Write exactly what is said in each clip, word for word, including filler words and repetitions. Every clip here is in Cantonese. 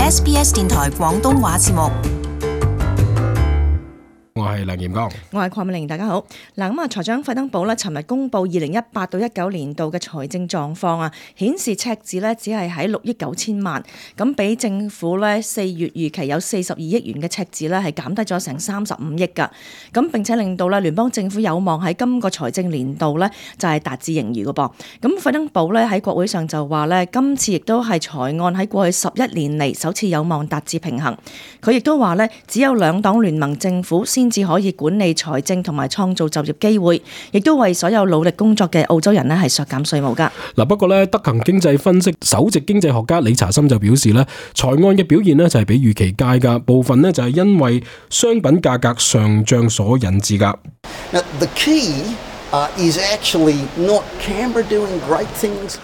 S B S 電台廣東話節目。我係梁炎剛，我係鄺美玲，大家好。嗱，咁啊，財長費登堡咧，尋日公布二零一八到一九年度嘅財政狀況啊，顯示赤字咧只係喺六億九千萬，咁比政府咧四月預期有四十二億元嘅赤字咧，係減低咗成三十五億噶。咁並且令到咧聯邦政府有望喺今個財政年度咧就係達至盈餘嘅噃。咁費登堡咧喺國會上就話咧，今次亦都係財案喺過去十一年嚟首次有望達至平衡。佢亦都話咧，只有兩黨聯盟政府先至可以管理財政同埋創造就業機會，亦都為所有努力工作嘅澳洲人咧係削減稅務噶。嗱，不過咧，德勤經濟分析首席經濟學家李查森就表示咧，財案嘅表現咧就係比預期佳噶，部分咧就係因為商品價格上漲所引致噶。Now, the key, uh, is actually not Canberra doing great things.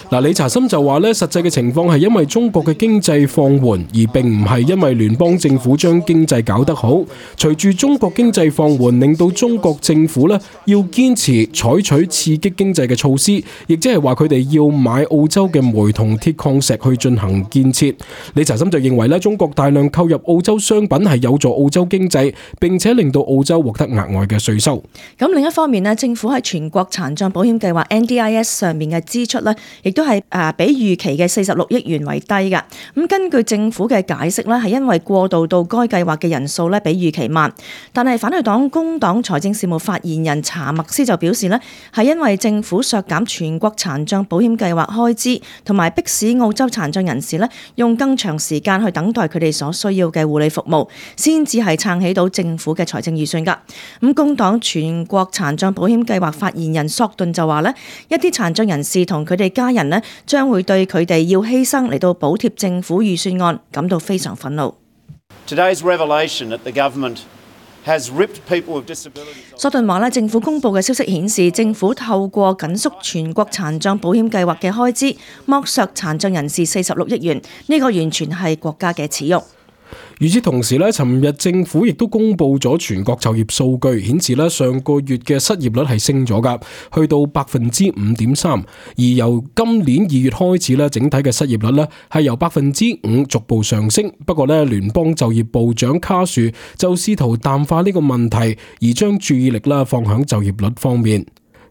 嗱，李查森就話咧，實際嘅情況係因為中國嘅經濟放緩，而並唔係因為聯邦政府將經濟搞得好。隨住中國經濟放緩，令到中國政府咧要堅持採取刺激經濟嘅措施，亦即係話佢哋要買澳洲嘅煤同鐵礦石去進行建設。李查森就認為咧，中國大量購入澳洲商品係有助澳洲經濟，並且令到澳洲獲得額外嘅稅收。咁另一方面咧，政府喺全國殘障保險計劃 N D I S 上面嘅支出咧，亦都係誒比預期嘅四十六億元為低嘅。咁根據政府嘅解釋咧，係因為過渡到該計劃嘅人數咧比預期慢。但係反對黨工黨財政事務發言人查默斯就表示咧，係因為政府削減全國殘障保險計劃開支，同埋迫使澳洲殘障人士咧用更長時間去等待佢哋所需要嘅護理服務，先至係撐起到政府嘅財政預算噶。咁工黨全國殘障保險計劃發言人索頓就話咧，一啲殘障人士同佢哋家人咧，將會對佢哋要犧牲嚟到補貼政府預算案感到非常憤怒。Today's revelation that the government has ripped people with disabilities. 索頓話咧，政府公布嘅消息顯示，政府透過緊縮全國殘障保險計劃嘅開支，剝削殘障人士四十六億元，呢個完全係國家嘅恥辱。與此同時咧，尋日政府亦都公布咗全國就業數據，顯示咧上個月嘅失業率係升咗噶，去到百分之五點三。而由今年二月開始咧，整體嘅失業率咧係由百分之五逐步上升。不過咧，聯邦就業部長卡殊就試圖淡化呢個問題，而將注意力啦放響就業率方面。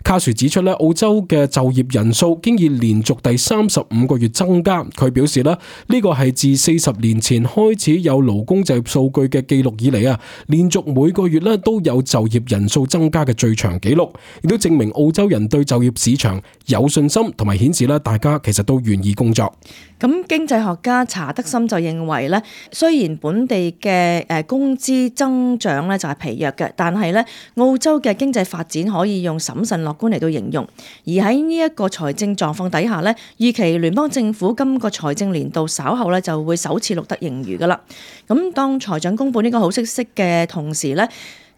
卡殊指出咧，澳洲嘅就業人數經已連續第三十五個月增加。佢表示咧，呢個係自四十年前開始有勞工就業數據嘅記錄以嚟啊，連續每個月咧都有就業人數增加嘅最長紀錄，亦都證明澳洲人對就業市場有信心，同埋顯示咧大家其實都願意工作。咁經濟學家查德森就認為咧，雖然本地嘅誒工資增長咧就係疲弱嘅，但係咧澳洲嘅經濟發展可以用審慎樂觀嚟到形容。而喺呢一個財政狀況底下咧，預期聯邦政府今個財政年度稍後咧就會首次錄得盈餘噶啦。咁當財長公布呢個好消息嘅同時咧，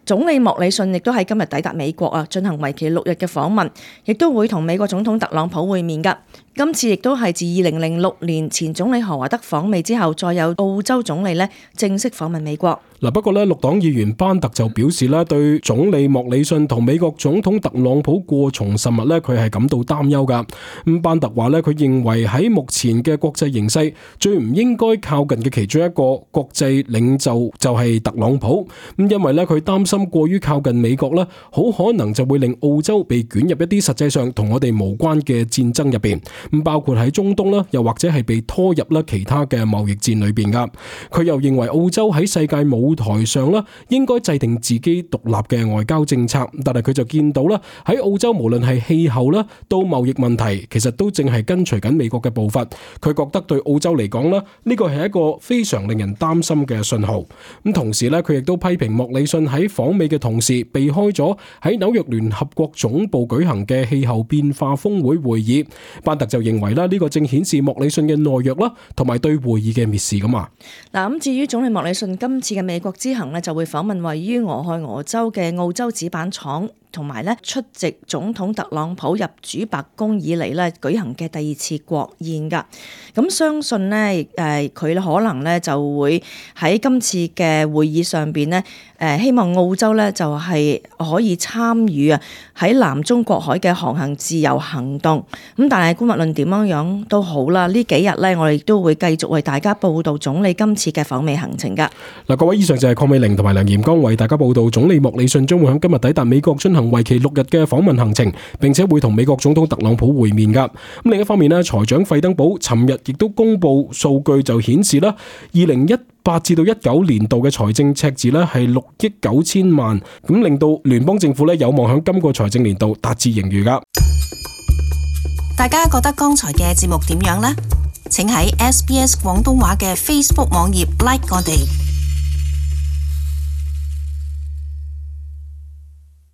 總理莫里遜亦都喺今日抵達美國啊，進行為期六日嘅訪問，亦都會同美國總統特朗普會面噶。今次亦都係自二零零六年前總理何華德訪美之後，再有澳洲總理咧正式訪問美國。嗱，不過咧，綠黨議員班特就表示咧，對總理莫里遜同美國總統特朗普過從甚密咧，佢係感到擔憂噶。咁班特話咧，佢認為喺目前嘅國際形勢，最唔應該靠近嘅其中一個國際領袖就係特朗普。咁因為咧，佢擔心過於靠近美國咧，好可能就會令澳洲被捲入一啲實際上同我哋無關嘅戰爭入邊。咁包括喺中東啦，又或者係被拖入啦其他嘅貿易戰裏邊噶。佢又認為澳洲喺世界舞台上啦，應該制定自己獨立嘅外交政策。但係佢就見到啦，喺澳洲無論係氣候啦，到貿易問題，其實都正係跟隨緊美國嘅步伐。佢覺得對澳洲嚟講啦，呢個係一個非常令人擔心嘅信號。咁同時咧，佢亦都批評莫里遜喺訪美嘅同時，避開咗喺紐約聯合國總部舉行嘅氣候變化峰會會議。班特就認為啦，呢個正顯示莫里遜嘅懦弱啦，同埋對會議嘅蔑視咁啊。嗱，咁至於總理莫里遜今次嘅美國之行呢，就會訪問位於俄亥俄州嘅澳洲紙板廠同埋咧出席總統特朗普入主白宮以嚟咧舉行嘅第二次國宴㗎。咁相信咧誒佢可能咧就會喺今次嘅會議上邊咧誒希望澳洲咧就係可以參與啊喺南中國海嘅航行自由行動。咁但係無論點樣樣都好啦，呢幾日咧我哋都會繼續為大家報道總理今次嘅訪美行程㗎。嗱，各位，以上就係鄺美玲同埋梁炎剛為大家報道總理莫里遜將會喺今日抵達美國進行為期六日嘅訪問行程，並且會同美國總統特朗普會面㗎。咁另一方面呢，財長費登堡尋日亦都公布數據就顯示啦，二零一八至到一九年度嘅財政赤字呢係六億九千萬，咁令到聯邦政府呢有望喺今個財政年度達至盈餘㗎。大家覺得剛才嘅節目點樣呢？請喺 S B S 廣東話嘅 Facebook 網頁 like 我哋。